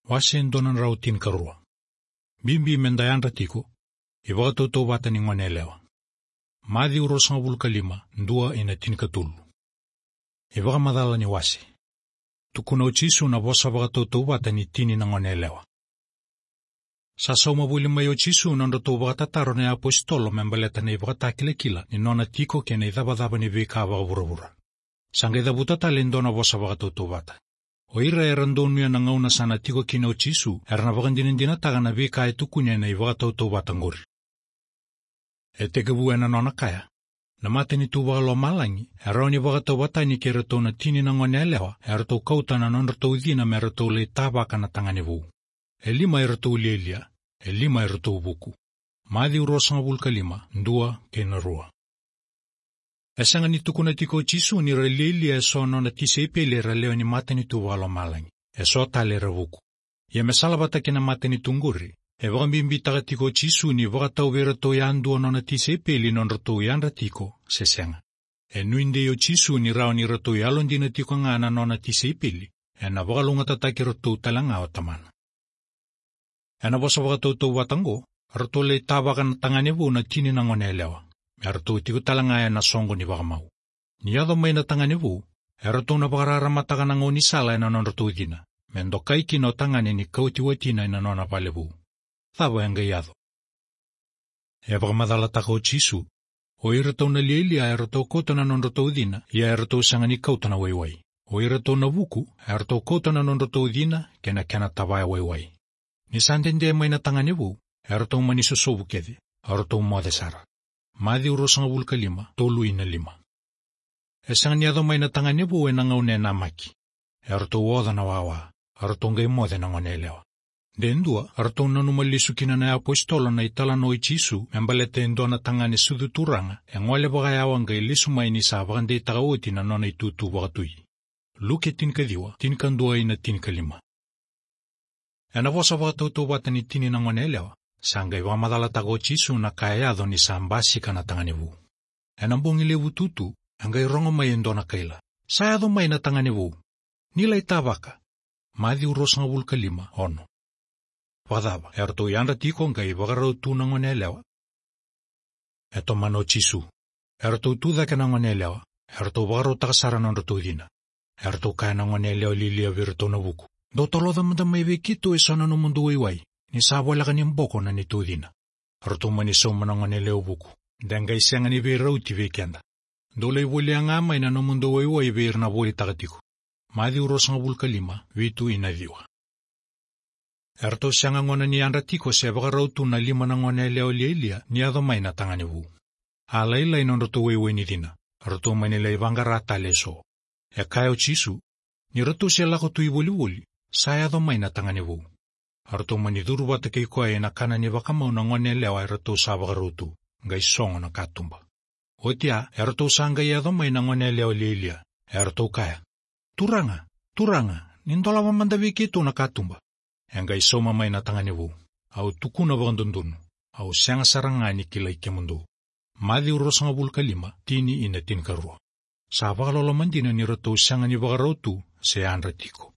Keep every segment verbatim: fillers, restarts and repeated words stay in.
Wase dua na drau tinikarua. Bibi me da yadra tiko, ivakatautauvata ni gone yalewa. Maciu ruasagavulu ka lima, dua ina tinikatolu. Ivakamacala ni wase. Tukuna o Jisu na vosa vakatautauvata ni tini na gone yalewa. Sa sauma voli mai o Jisu na nodratou vakatataro na iapositolo me baleta na ivakatakilakila ni nona tiko kei na icavacava ni veika vakavuravura. Sa qai cavuta tale e dua na vosa vakatautauvata. O ira era donuya na gauna sa na tiko kina o Jisu, era na vakadinadinataka na veika e tukuni ena ivakatautauvata qori. E tekivu ena nona kaya: Na matanitu vakalomalagi e rawa ni vakatauvatani kei iratou na tini na gone yalewa eratou kauta na nodratou cina me ratou lai tavaka na tagane vou. E lima eratou lialia, e lima eratou vuku. Maciu ruasagavulu ka lima, dua kei na rua. E sega ni tukuna tiko o Jisu ni ra lialia e so na nona tisaipeli era lewe ni matanitu vakalomalagi. E so tale era vuku. Ia me salavata kei na matanitu qori, e vakabibitaka tiko o Jisu ni vakatau vei iratou yadua na nona tisaipeli na nodratou yadra tiko se sega. E nuidei o Jisu ni rawa ni ratou yalodina tiko ga na nona tisaipeli, ena vakalougatataki iratou tale ga o Tamana. Ena vosa vakatautauvata qo, eratou lai tavaka na tagane vou na tini na gone yalewa, me ratou tiko tale ga ena soqo ni vakamau. Ni yaco mai na tagane vou, eratou na vakararamataka na gaunisala ena nodratou cina, me dokai kina o tagane ni kauti watina ena nona vale vou. Cava e qai yaco? E vakamacalataka o Jisu: O iratou na lialia eratou kauta na nodratou cina, ia eratou sega ni kauta na waiwai. O iratou na vuku eratou kauta na nodratou cina kei na kena tavaya waiwai. Ni sa dede mai na tagane vou, eratou mani sosovu kece, eratou moce sara. Maciu ruasagavulu ka lima, tolu ina lima. E sega ni yaco mai na tagane vou ena gauna e namaki. Eratou oca na wawa, eratou qai moce na gone yalewa. De dua, eratou nanuma lesu kina na iapositolo na italanoa i Jisu me baleta e dua na tagane sucu turaga e gole vakayawa qai lesu mai ni sa vakadeitaka oti na nona itutu vakatui. Luke tinikaciwa, tinikadua ina tinikalima. Ena vosa vakatautauvata ni tini na gone yalewa, sa qai vakamacalataka o Jisu na ka e yaco ni sa basika na tagane vou. Ena bogi levu tutu, e qai rogo mai e dua na kaila: Sa yaco mai na tagane vou. Ni lai tavaka. Maciu ruasagavulu ka lima, ono. Vakacava, eratou yadra tiko qai vakarau tu na gone yalewa? E tomana o Jisu: Eratou tu cake na gone yalewa, eratou vakarautaka sara na nodratou cina. Eratou kaya na gone yalewa lialia vei iratou na vuku: Dou toloca mada mai vei keitou e so na nomudou waiwai, ni sa voleka ni boko na neitou cina. Eratou mani sauma na gone yalewa vuku: De qai sega ni veirauti vei keda. Dou lai volia ga mai na nomudou waiwai vei ira na volitaka tiko. Maciu ruasagavulu ka lima, vitu ina ciwa. Eratou sega gona ni yadra tiko se vakarau tu na lima na gone yalewa lialia ni yaco mai na tagane vou. A lailai nodratou waiwai ni cina, eratou mani lai vaqara tale e so. E kaya o Jisu: Ni ratou se lako tu i volivoli, sa yaco mai na tagane vou. Eratou mani curu vata kei koya ena kana ni vakamau na gone yalewa eratou sa vakarau tu, qai sogo na katuba. Oti ya, eratou sa qai yaco mai na gone yalewa lialia, eratou kaya: Turaga, turaga, ni dolava mada vei keitou na katuba. E qai sauma mai na tagane vou: Au tukuna vakadodonu, au sega sara ga ni kilai kemudou. Maciu ruasagavulu ka lima, tini ina tinikarua. Sa vakaloloma dina ni ratou sega ni vakarau tu se yadra tiko.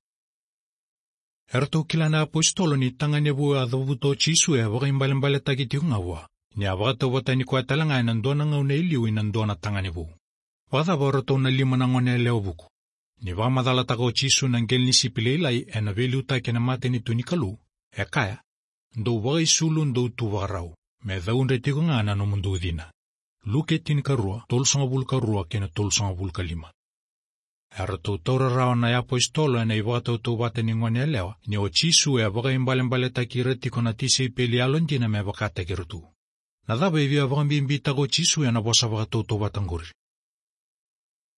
Eratou kila na iapositolo ni tagane vou a cavuta o Jisu e vakaibalebaletaki tiko ga vua, ni a vakatauvatani koya tale ga ena dua na gauna e liu ina dua na tagane vou. Vakacava o ratou na lima na gone yalewa vuku? Ni vakamacalataka o Jisu na qelenisipi lailai ena veiliutaki ena matanitu ni Kalou, e kaya: Dou vakaisulu, dou tu vakarau, me caudre tiko ga na nomudou cina. Luke tinikarua, tolusagavulu ka rua kei na tolusagavulu ka lima. Eratou taura rawa na iapositolo ena ivakatautauvata ni gone yalewa ni o Jisu e vakaibalebaletaki ira tiko na tisaipeli yalodina me vakataki iratou. Na cava e via vakabibitaka o Jisu ena vosa vakatautauvata qori?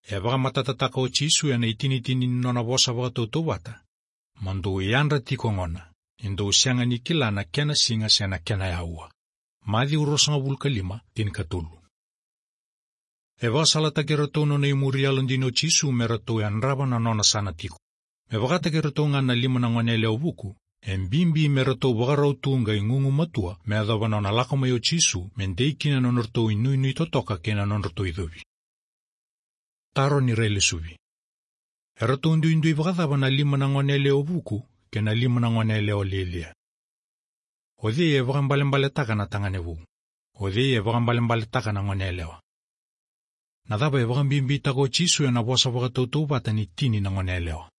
E vakamatatataka o Jisu ena itinitini ni nona vosa vakatautauvata: Mo dou yadra tiko gona, ni dou sega ni kila na kena siga se na kena aua. Maciu ruasagavulu ka lima, tinikatolu. E vakasalataki iratou nona imuri yalodina o Jisu me ratou yadrava na nona sa na tiko. Me vakataki iratou ga na lima na gone yalewa vuku, e bibi me ratou vakarau tu qai gugumatua me yacova nona lako mai o Jisu me dei kina na nodratou inuinui totoka kei na nodratou icovi. Taro ni railesuvi. Eratou duidui vakacava na lima na gone yalewa vuku kei na lima na goneyalewa lialia. O cei e vakaibalebaletaka na tagane vou? O cei e vakaibalebaletaka na goneyalewa? Na cava e vakabibitaka o Jisu ena vosa vakatautauvata ni tini na goneyalewa?